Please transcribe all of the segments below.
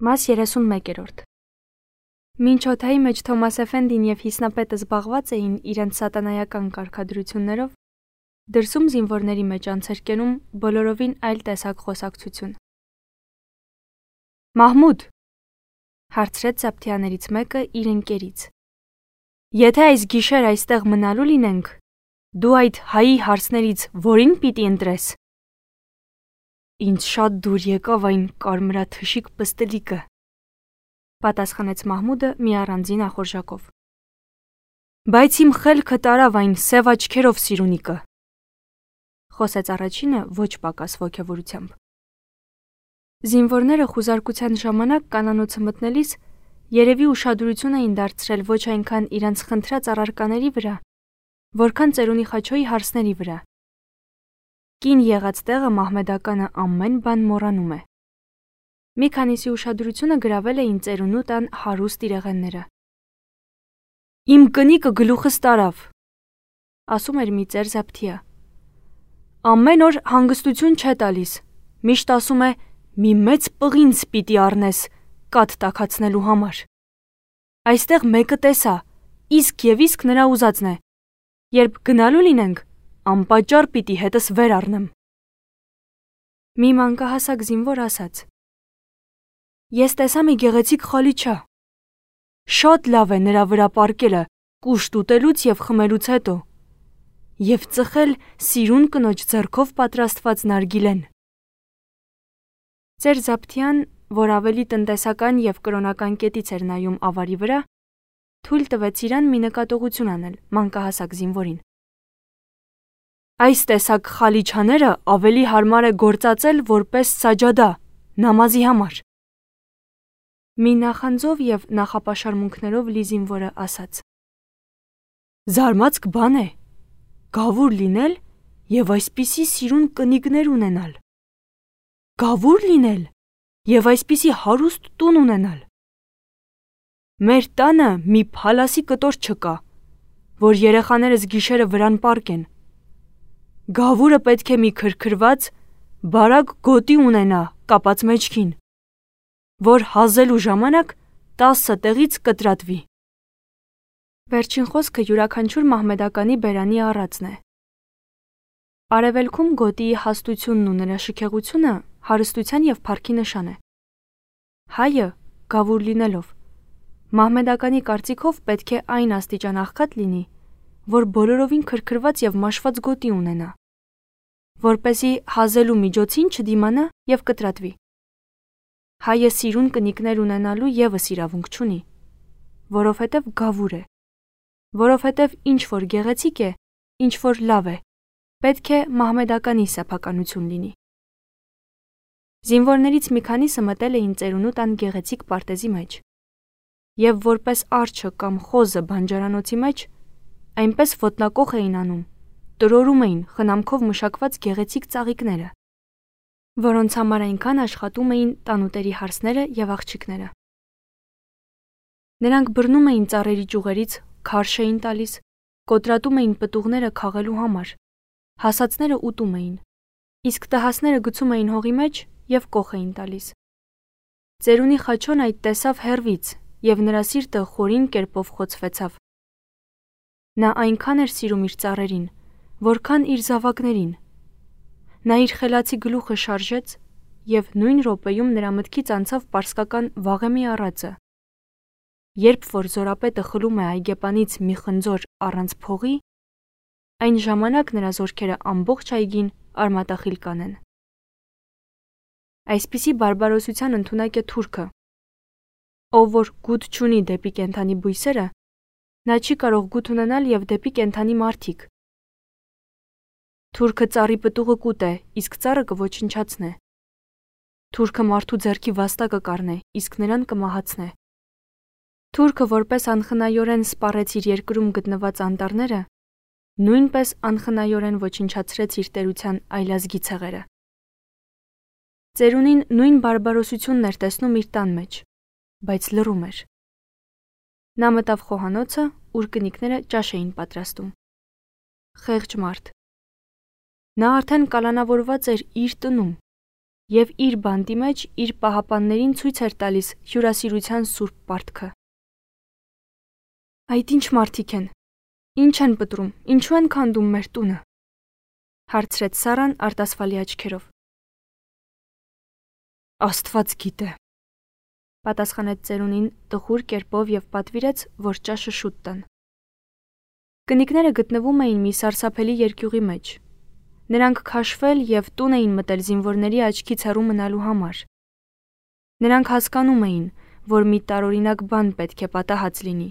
Մաս 31-րդ Մինչ օդայի մեջ Թոմաս Էֆենդին և Հիսնապետը զբաղված էին իրենց սատանայական կարգադրություններով, դրսում զինվորների մեջ անց էր կենում բոլորովին այլ տեսակ խոսակցություն։ «Մահմուդ», հարցրեց զապթյաներից մեկը իր ընկերից, «եթե այս գիշեր այստեղ մնալու լինենք, դու այդ հայի հարցներից որին պիտի ընտրես»։ «Ինձ շատ դուր եկավ այն կարմրաթշիկ պստլիկը», պատասխանեց Մահմուդը մի առանձին ախորժակով։ «Բայց իմ խելքը տարավ այն սև աչքերով սիրունիկը», խոսեց առաջինը ոչ պակաս ոգևորությամբ։ Զինվորները խուզարկության ժամանակ կանանոցը մտնելիս երևի ուշադրություն էին դարձրել ոչ այնքան իրենց խնդրած առարկաների վրա, որքան ծերունի Խաչոյի հարցների վրա։ Կին եղած տեղը մահմեդականը ամեն բան մոռանում է։ Մի քանիսի ուշադրությունը գրավել էին ծերունու տան հարուստ իրեղենները։ «Իմ կնիկը գլուխս տարավ», ասում էր մի ծեր զապթյա։ «Ամեն օր հանգստություն չէ տալիս, միշտ ասում է մի մեծ պղինձ պիտի առնես կաթ տաքացնելու համար։ Այստեղ մեկը տեսա, իսկ և իսկ նրա ուզածն է։ Երբ գնալու լինենք, անպատճառ պիտի հետս վեր առնեմ»։ Մի մանկահասակ զինվոր ասաց. «Ես տեսա մի գեղեցիկ խալիչա։ Շատ լավ է նրա վրա պառկելը կուշտ ուտելուց և խմելուց հետո, և ծխել սիրուն կնոջ ձեռքով պատրաստված նարգիլեն»։ Ծեր զապթյան, որ ավելի տնտեսական և կրոնական կետից էր նայում ավարի վրա, թույլ տվեց իրան մի նկատողություն անել մանկահասակ զինվորին։ «Այս տեսակ խալիչաները ավելի հարմար է գործածել որպես սաջադա, նամազի համար»։ Մի նախանձով և նախապաշարմունքներով լի զինվորը ասաց. «Զարմացք բան է, գավուր լինել և այսպիսի սիրուն կնիկներ ունենալ։ Գավուր լինել և այսպիսի հարուստ տուն ունենալ։ Մեր տանը մի փալասի կտոր չկա, որ երեխաներս գիշերը վրան պառկեն։ Գավուրը պետք է մի քրքրված, բարակ գոտի ունենա կապած մեջքին, որ հազելու ժամանակ 10 տեղից կտրատվի»։ Վերջին խոսքը յուրաքանչյուր մահմեդականի բերանի առածն է։ Արևելքում գոտիի հաստությունն ու նրա շքեղությունը հարստության և փառքի նշան է։ Հայը, գավուր լինելով, մահմեդականի կարծիքով պետք է այն աստիճան աղքատ լինի, որ բոլորովին քրքրված և մաշված գոտի ունենա, որպեսզի հազելու միջոցին չդիմանա և կտրատվի։ Հայը սիրուն կնիկներ ունենալու ևս իրավունք չունի, որովհետև գավուր է, որովհետև ինչ որ գեղեցիկ է, ինչ որ լավ է, պետք է մահմեդականի սեփականություն լինի։ Զինվորներից մի քանիսը մտել էին ծերունու տան գեղեցիկ պարտեզի մեջ, և որպես արջը կամ խոզը բանջարանոցի մեջ, այնպես ոտնակոխ էին անում, տրորում էին խնամքով մշակված գեղեցիկ ծաղիկները, որոնց համար այնքան աշխատում էին տանուտերի հարսները և աղջիկները։ Նրանք բռնում էին ծառերի ճյուղերից, քարշ էին տալիս, կոտրատում էին պտուղները քաղելու համար, հասածները ուտում էին, իսկ տհասները գցում էին հողի մեջ և կոխ էին տալիս։ Ծերունի Խաչոն այդ տեսավ հեռվից և նրա սիրտը խորին կերպով խոցվեցավ։ Նա այնքան էր սիրում իր ծառերին, որքան իր զավակներին։ Նա իր խելացի գլուխը շարժեց և նույն րոպեում նրա մտքից անցավ պարսկական Վաղեմի առածը. երբ որ զորապետը խլում է այգեպանից մի խնձոր առանց փողի, այն ժամանակ նրա զորքերը ամբողջ այգին արմատախիլ կանեն։ Այսպիսի բարբարոսության ընդունակ է թուրքը, ով որ գութ չունի դեպի կենդանի բույսերը, նա չի կարող գութ ունենալ և դեպի կենդանի մարդիկ։ Թուրքը ծառի պտուղը կուտե, իսկ ծառը կոչնչացնե։ Թուրքը մարդու ձեռքի վաստակը կառնե, իսկ նրան կմահացնե։ Թուրքը որպես անխնայորեն սպառեց իր երկրում գտնված անտառները, նույնպես անխնայորեն ոչնչացրեց իր տերության այլազգի ցեղերը։ Ծերունին նույն բարբարոսությունն էր տեսնում իր տան մեջ, բայց լռում էր։ Նա մտավ խոհանոցը, ուր կնիկները ճաշ էին պատրաստում։ Խեղճ մարդ։ Նա արդեն կալանավորված էր իր տնում եւ իր բանտի մեջ իր պահապաններին ցույց էր տալիս հյուրասիրության սուրբ պարտքը։ Այդ ինչ մարդիկ են, ինչ են պտրում, ինչու են քանդում մեր տունը, հարցրեց Սարան արտասվալի աչքերով։ Աստված գիտե, պատասխանեց ծերունին տխուր կերպով եւ պատվիրեց, որ ճաշը շուտ տան։ Կնիկները գտնվում էին մի սարսափելի երկյուղի մեջ։ Նրանք քաշվել եւ տուն էին մտել զինվորների աչքից հեռու մնալու համար։ Նրանք հասկանում էին, որ մի տարօրինակ բան պետք է պատահած լինի,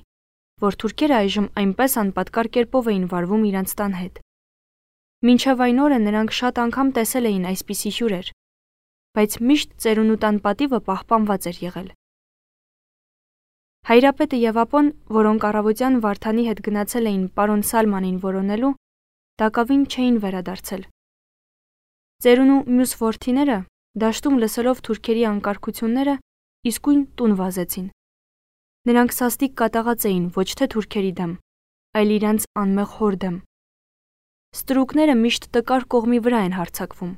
որ թուրքերը այժմ այնպես անպատկար կերպով էին վարվում իրենց տան հետ։ Մինչև այն օրը նրանք շատ անգամ տեսել էին այսպիսի հյուրեր, բայց միշտ ծերունու տան պատիվը պահպանված էր եղել։ Հայրապետը եւ ապոն, որոնք առավոտյան Վարդանի հետ գնացել էին պարոն Սալմանին որոնելու, տակավին չէին վերադարձել։ Ծերունու մյուս որդիները, դաշտում լսելով թուրքերի անկարգությունները, իսկույն տուն վազեցին։ Նրանք սաստիկ կատաղած էին ոչ թե թուրքերի դեմ, այլ իրենց անմեղ հոր դեմ։ Ստրուկները միշտ տկար կողմի վրա են հարձակվում։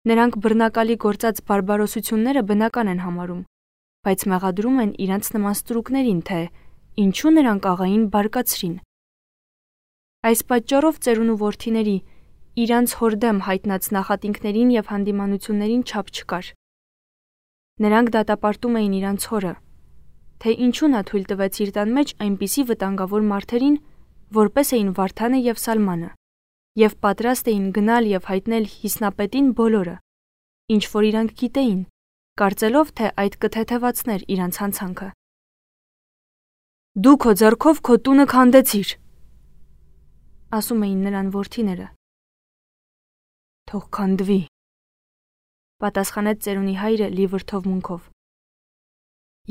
Նրանք բռնակալի գործած բարբարոսությունները բնական են համարում, բայց մեղադրում են իրենց նման ստրուկներին, թե ինչու նրանք աղային բարկացրին։ Այս պատճառով ծերունու որդիների իրանց հոր դեմ հայտնած նախատինքներին եւ հանդիմանություններին չափ չկար։ Նրանք դատապարտում էին իրանց հորը, թե ինչու նա թույլ տվեց իր տան մեջ այնպիսի վտանգավոր մարդերին, որպես էին Վարդանը եւ Սալմանը, եւ պատրաստ էին գնալ եւ հայտնել հիսնապետին բոլորը, ինչ որ իրանք գիտեին, կարծելով, թե այդ կթեթևացներ իրանց հանցանքը։ Դու քո ձեռքով քո տունը քանդեցիր, ասում էին նրան որդիները։ Թող քանդվի, պատասխանեց ծերունի հայրը լի վրդովմունքով։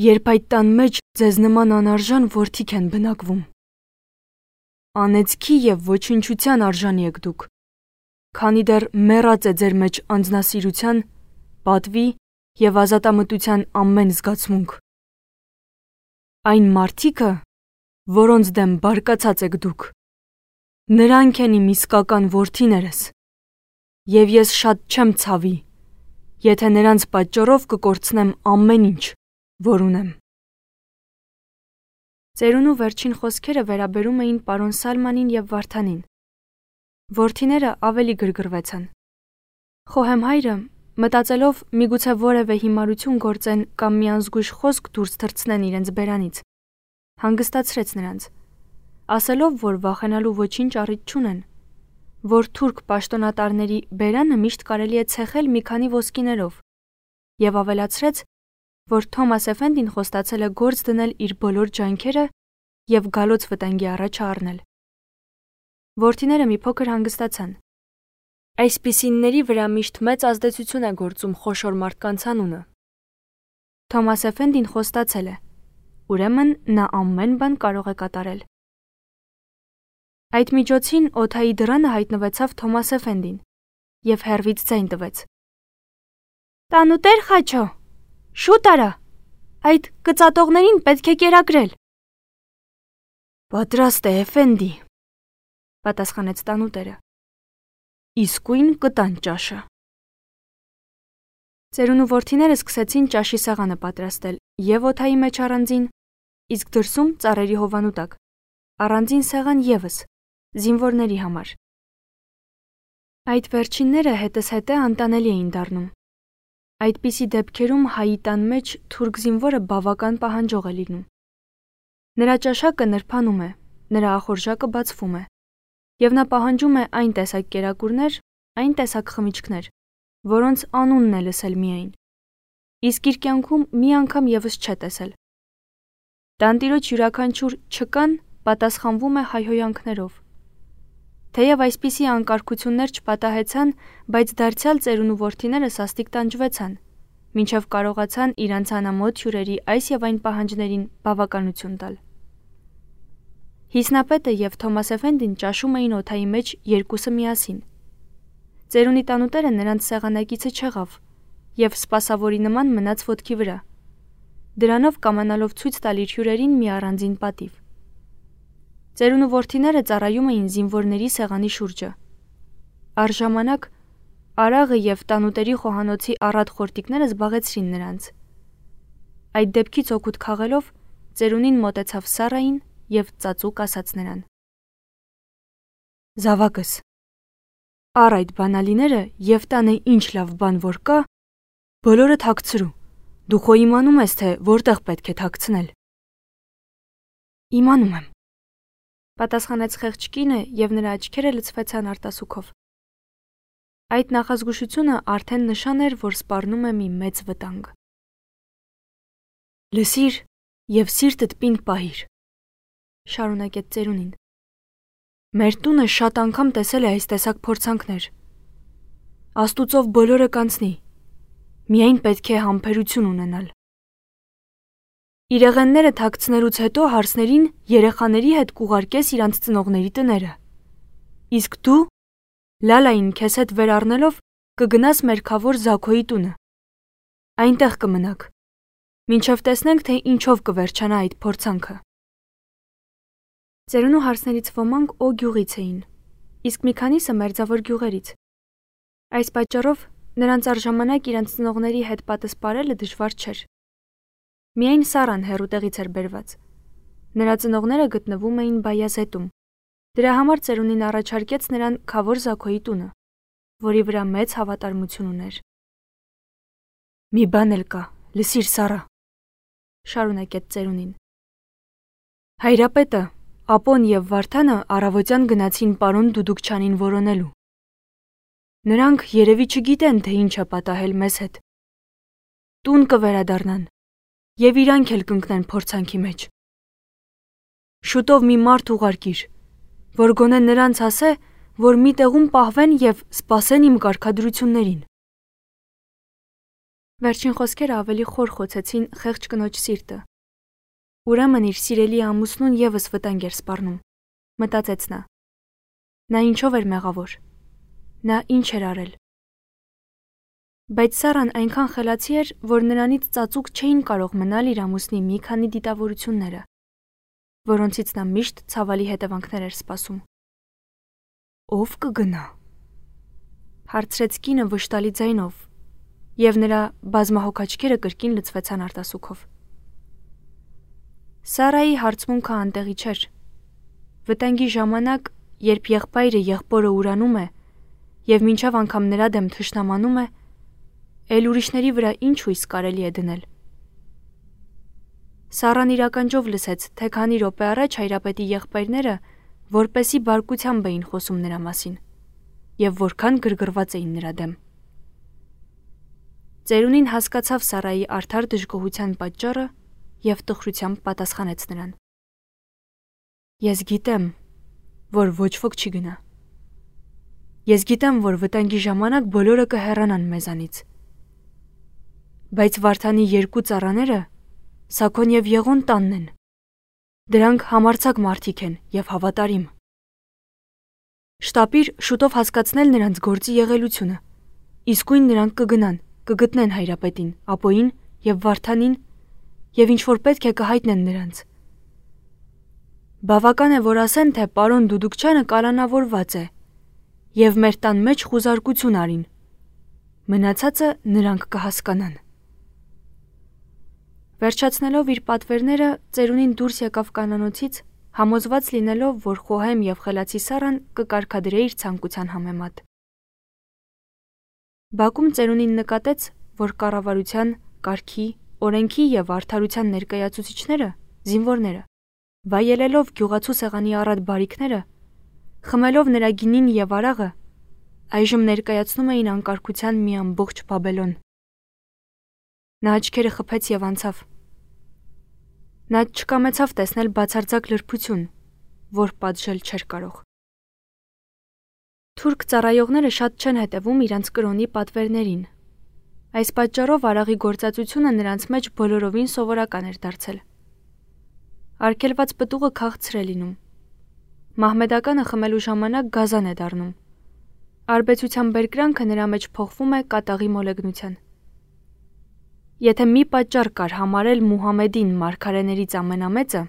Երբ այդ տան մեջ ձեզ նման անարժան որդիք են բնակվում։ Անեծքի եւ ոչնչության արժանի եք դուք, քանի դեռ մեռած է ձեր մեջ անձնասիրության, պատվի եւ ազատամտության ամեն զգացմունք։ Այն մարդիկը, որոնց դեմ բարկացած եք դուք, նրանք են իմ իսկական որդիներս, եւ ես շատ չեմ ցավի, եթե նրանց պատճառով կկորցնեմ ամեն ինչ, որ ունեմ։ Ծերունու վերջին խոսքերը վերաբերում էին պարոն Սալմանին եւ Վարդանին։ Որդիները ավելի գրգռվեցան։ Խոհեմ հայրը, մտածելով միգուցե որևէ հիմարություն գործեն կամ մի անզգույշ խոսք դուրս թռցնեն իրենց բերանից, հանգստացրեց նրանց, ասելով, որ վախենալու ոչինչ առիթ չունեն, որ թուրք պաշտոնատարների բերանը միշտ կարելի է ցեխել մի քանի ոսկիներով, եւ ավելացրեց, որ Թոմաս Էֆենդին խոստացել է գործ դնել իր բոլոր ջանքերը եւ գալոց վտանգի առաջ առնել։ Որդիները մի փոքր հանգստացան։ Այսպիսինների վրա միշտ մեծ ազդեցություն է գործում խոշոր մարդկանց անունը։ Թոմաս Էֆենդին խոստացել է, ուրեմն նա ամեն բան կարող է կատարել։ Այդ միջոցին օդայի դռանը հայտնվեցավ Թոմաս Էֆենդին եւ հեռվից ձայն տվեց. Տանուտեր Խաչո, շուտ արա, այդ կծատողներին պետք է կերակրել։ Պատրաստ է, Էֆենդի, պատասխանեց տանուտերը։ Իսկույն կտան ճաշը։ Ծերունու որդիները սկսեցին ճաշի սեղանը պատրաստել եւ օդայի մեջ առանձին, իսկ դրսում ծառերի հովանու տակ առանձին սեղան եւս զինվորների համար։ Այդ վերջինները հետզհետե անտանելի էին դառնում։ Այդպիսի դեպքերում հայի տան մեջ թուրք զինվորը բավական պահանջող է լինում։ Նրա ճաշակը նրբանում է, նրա ախորժակը բացվում է, եւ նա պահանջում է այն տեսակ կերակուրներ, այն տեսակ խմիչքներ, որոնց անունն է լսել միայն, իսկ իր կյանքում մի անգամ եւս չէ տեսել։ Տանտիրոջ յուրաքանչյուր չկան պատասխանվում է հայհոյանքներով։ Թեև այսպիսի անկարգություններ չպատահեցան, բայց դարձյալ ծերունու որդիները սաստիկ տանջվեցան, մինչև կարողացան իրանց անամոթ հյուրերի այս եւ այն պահանջներին բավականություն տալ։ Հիսնապետը եւ Թոմաս Էֆենդին ճաշում էին օդայի մեջ երկուսը միասին։ Ծերունի տանուտերը նրանց սեղանակիցը չեղավ եւ սպասավորի նման մնաց ոտքի վրա, դրանով կամանալով ցույց տալ իր հյուրերին մի առանձին պատիվ։ Ծերունու որդիները ծառայում էին զինվորների սեղանի շուրջը։ Առժամանակ Արաղը և տանուտերի խոհանոցի առատ խորտիկները զբաղեցրին նրանց։ Այդ դեպքից օգուտ քաղելով, ծերունին մոտեցավ Սարային և ծածուկ ասաց նրան. «Զավակս, առ այդ բանալիները և տանը ինչ լավ բան որ կա, բոլորը թաքցրու, դու խո իմանում ես, թե որտեղ պետք է թաքցնել»։ «Իմանում եմ», պատասխանեց խեղճ կինը և նրա աչքերը լցվեցան արտասուքով։ Այդ նախազգուշությունը արդեն նշան էր, որ սպառնում է մի մեծ վտանգ։ «Լսիր և սիրտդ պինդ պահիր», շարունակեց ծերունին։ «Մեր տունը շատ անգամ տեսել է այս տեսակ փորձանքներ։ Աստուծով բոլորը կանցնի, միայն պետք է համբերություն ունենալ։ Իրեղենները թաքցնելուց հետո հարսներին երեխաների հետ կուղարկես իրանց ծնողների տները։ Իսկ դու, Լալային քեզ հետ վեր առնելով, կգնաս Մերքավոր Զաքոյի տունը։ Այնտեղ կմնաք, մինչև տեսնենք, թե ինչով կվերջանա այդ փորձանքը»։ Ծերունու հարսներից ոմանք Օ գյուղից էին, իսկ մի քանիսը մերձավոր գյուղերից։ Այս պատճառով նրանց առժամանակ իրանց ծնողների հետ պատասպարելը դժվար չէր։ Միայն Սարան հեռու տեղից էր բերված։ Նրա ծնողները գտնվում էին Բայազետում։ Դրա համար ծերունին առաջարկեց նրան Քավոր Զաքոյի տունը, որի վրա մեծ հավատարմություն ուներ։ «Մի բան էլ կա, լսիր Սարա», շարունակեց ծերունին։ «Հայրապետը, Ապոն և Վարդանը առավոտյան գնացին պարոն Դուդուկչյանին որոնելու։ Նրանք երևի չգիտեն, թե ինչ է պատահել մեզ հետ։ Տուն կվերադառնան և իրանք էլ կընկնեն փորձանքի մեջ։ Շուտով մի մարդ ուղարկիր, որ գոնե նրանց ասե, որ մի տեղում պահվեն և սպասեն իմ կարգադրություններին»։ Վերջին խոսքերը ավելի խոր խոցեցին խեղճ կնոջ սիրտը։ Ուրեմն իր սիրելի ամուսնուն ևս վտանգ էր սպառնում, մտածեց նա։ Նա ինչով էր մեղավոր։ Նա ինչ էր արել։ Բայց Սարան այնքան խելացի էր, որ նրանից ծածուկ չէին կարող մնալ իր ամուսնի մի քանի դիտավորությունները, որոնցից նա միշտ ցավալի հետևանքներ էր սպասում։ «Ո՞վ կգնա», հարցրեց կինը վշտալի ձայնով, և նրա բազմահոգ աչքերը կրկին լցվեցան արտասուքով։ Սարայի հարցմունքը անտեղի չէր։ Վտանգի ժամանակ, երբ եղբայրը եղբորը ուրանում է և մինչև անգամ նրա դեմ թշնամանում է, էլ ուրիշների վրա ինչ հույս կարելի է դնել։ Սարան իրականջով լսեց, թե քանի րոպե առաջ հայրապետի եղբայրները որպեսի բարկությամբ էին խոսում նրա մասին և որքան գրգռված էին նրա դեմ։ Ծերունին հասկացավ Սարայի արդար դժգոհության պատճառը և տխրությամբ պատասխանեց նրան. «Ես գիտեմ, որ ոչ ոք չի գնա։ Ես գիտեմ, որ վտանգի ժամանակ բոլորը կհեռանան մեզանից։ Բայց Վարդանի երկու ծառաները, Սաքոն և Եղոն տանն են։ Դրանք համարձակ մարդիկ են և հավատարիմ։ Շտապիր շուտով հասկացնել նրանց գործի եղելությունը, իսկույն նրանք կգտնեն հայրապետին, Ապոյին և Վարդանին և ինչ-որ պետք է կհայտնեն նրանց։ Բավական է, որ ասեն, թե պարոն Դուդուկչյանը կալանավորված է և մեր տան մեջ խուզարկություն արին։ Մնացածը նրանք կհասկանան»։ Վերջացնելով իր պատվերները, ծերունին դուրս եկավ կանանոցից, համոզված լինելով, որ խոհեմ և խելացի Սարան կկարգադրե իր ցանկության համեմատ։ Բակում ծերունին նկատեց, որ կառավարության, կարգի, օրենքի և արդարության ներկայացուցիչները, զինվորները, վայելելով գյուղացու սեղանի առատ բարիքները, խմելով նրա գինին և արաղը, այժմ ներկայացնում էին անկարգության մի ամբողջ Բաբելոն։ Նա աչքերը խփեց և անցավ։ Նա չկամեցավ տեսնել բացարձակ լրբություն, որ պատժել չէր կարող։ Թուրք ծառայողները շատ չեն հետևում իրանց կրոնի պատվերներին։ Այս պատճառով արաղի գործածությունը նրանց մեջ բոլորովին սովորական էր դարձել։ Արգելված պտուղը քաղցր է լինում։ Մահմեդականը խմելու ժամանակ գազան է դառնում։ Արբեցության բերկրանքը նրա մեջ փոխվում է կատաղի մոլեգնության։ Եթե մի պատճառ կար համարել Մուհամեդին մարգարեներից ամենամեծը,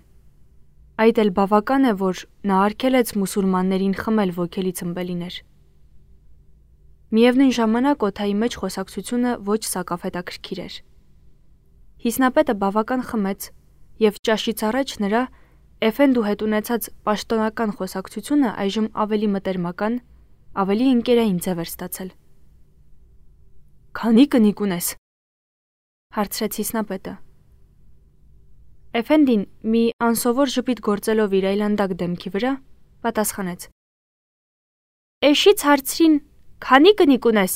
այդ էլ բավական է, որ նա արգելեց մուսուլմաններին խմել ոգելի ցմբելիներ։ Միևնույն ժամանակ օթայի մեջ խոսակցությունը ոչ սակավ հետաքրքիր էր։ Հիսնապետը բավական խմեց, եւ ճաշից առաջ նրա Էֆենդու հետ ունեցած պաշտոնական խոսակցությունը այժմ ավելի մտերմական, ավելի ընկերային ձև էր ստացել։ «Քանի կնիկ ունես», հարցրեց հիսնապետը։ Էֆենդին մի անսովոր ժպիտ գործելով իր այլանդակ դեմքի վրա, պատասխանեց. «Էշից հարցրին, քանի կնիկ ունես»։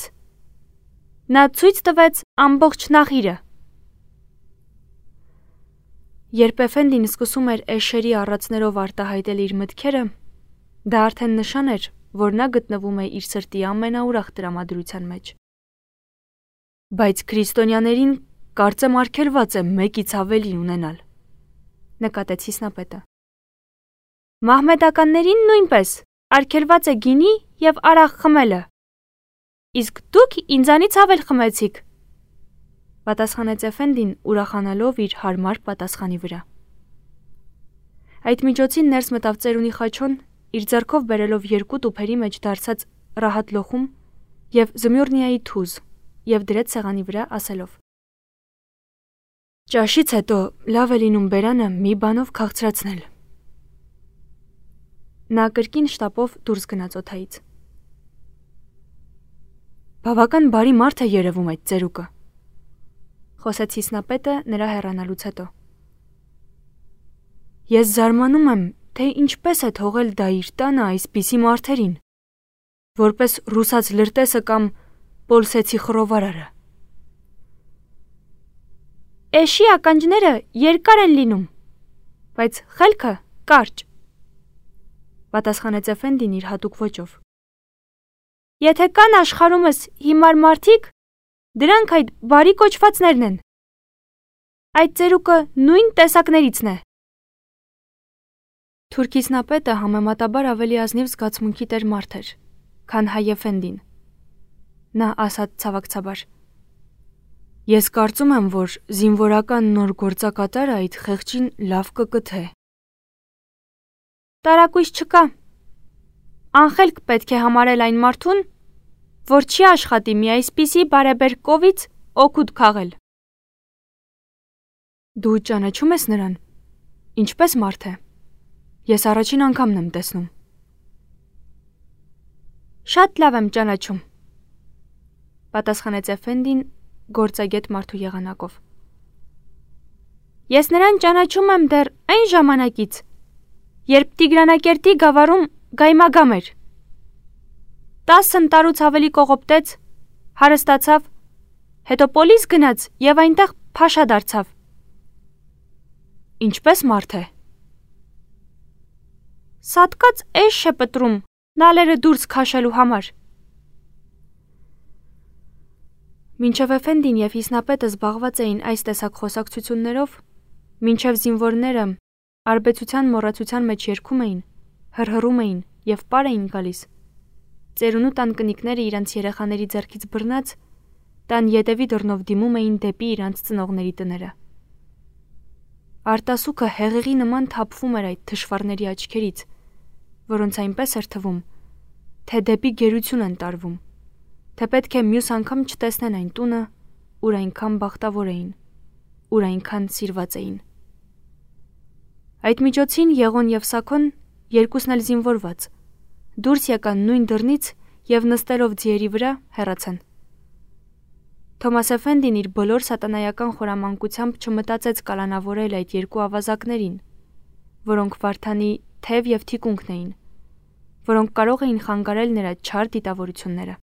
Նա ցույց տվեց ամբողջ նախիրը։ Երբ Էֆենդին սկսում էր էշերի առածներով արտահայտել իր մտքերը, դա արդեն նշան էր, որ նա գտնվում է իր սրտի ամենաուրախ տրամադրության մեջ։ Բայց քրիստոնյաներին կարծեմ արգելված է մեկից ավելի ունենալ, նկատեց հիսնապետը։ Մահմեդականներին նույնպես արգելված է գինի եւ արաղ խմելը։ Իսկ դուք ինձանից ավել խմեցիք, պատասխանեց Էֆենդին ուրախանալով իր հարմար պատասխանի վրա։ Այդ միջոցին ներս մտավ ծերունի խաչոն, իր ձեռքով բերելով 2 տուփերի մեջ դարձած ռահատ լոխում եւ զմյուրնիայի թուզ եւ դրեց սեղանի վրա ասելով. Ճաշից հետո լավ է լինում բերանը մի բանով քաղցրացնել։ Նա կրկին շտապով դուրս գնաց օթայից։ Բավական բարի մարդ է երևում այդ ծերուկը, խոսեց հիսնապետը նրա հեռանալուց հետո։ Ես զարմանում եմ, թե ինչպես է թողել դա իր տանը այսպիսի մարդերին, որպես ռուսաց լրտեսը կամ պոլսեցի խռովարարը։ Էշի ականջները երկար են լինում, բայց խելքը կարճ, պատասխանեց Էֆենդին իր հատուկ ոճով։ Եթե կան աշխարհումս հիմար մարդիկ, դրանք այդ բարի կոչվածներն են։ Այդ ծերուկը նույն տեսակներիցն է։ Թուրքիսնապետը համեմատաբար ավելի ազնիվ զգացմունքի տեր մարդ էր, քան հայ Էֆենդին։ Նա ասաց ցավակցաբար. Ես կարծում եմ, որ զինվորական նոր գործակատարը այդ խեղճին լավ կկթե։ Տարակույս չկա։ Անխելք պետք է համարել այն մարդուն, որ չի աշխատի մի այսպիսի բարեբեր կովից օգուտ քաղել։ Դու ճանաչում ես նրան, ինչպես մարդ է։ Ես առաջին անգամն եմ տեսնում։ Շատ լավ եմ ճանաչում, պատասխանեց Էֆենդին գործագետ մարդու եղանակով։ Ես նրան ճանաչում եմ դեռ այն ժամանակից, երբ Տիգրանակերտի գավառում գայմագամ էր։ 10 տարուց ավելի կողոպտեց, հարստացավ, հետո պոլիս գնաց եւ այնտեղ փաշա դարձավ։ Ինչպես մարդ է։ Սատկած էշ է պտրում նալերը դուրս քաշելու համար։ Մինչև Էֆենդին եւ հիսնապետը զբաղված էին այս տեսակ խոսակցություններով, մինչև զինվորները արբեցության մոռացության մեջ երգում էին, հրհռում էին եւ պար էին գալիս, ծերունու տան կնիկները իրանց երեխաների ձեռքից բռնած, տան ետևի դռնով դիմում էին դեպի իրանց ծնողների տները։ Արտասուքը հեղեղի նման թափվում էր այդ թշվառների աչքերից, որոնց այնպես էր թվում, թե դեպի գերություն են տարվում, թե պետք է մյուս անգամ չտեսնեն այն տունը, ուր այնքան բախտավոր էին, ուր այնքան սիրված էին։ Այդ միջոցին Եղոն եւ Սաքոն, երկուսն էլ զինվորված, դուրս եկան նույն դռնից եւ նստելով ձիերի վրա հեռացան։ Թոմաս Էֆենդին իր բոլոր սատանայական խորամանկությամբ չմտածեց կալանավորել այդ երկու ավազակներին, որոնք Վարդանի թև եւ թիկունքն էին, որոնք կարող էին խանգարել նրա չար դիտավորությունները։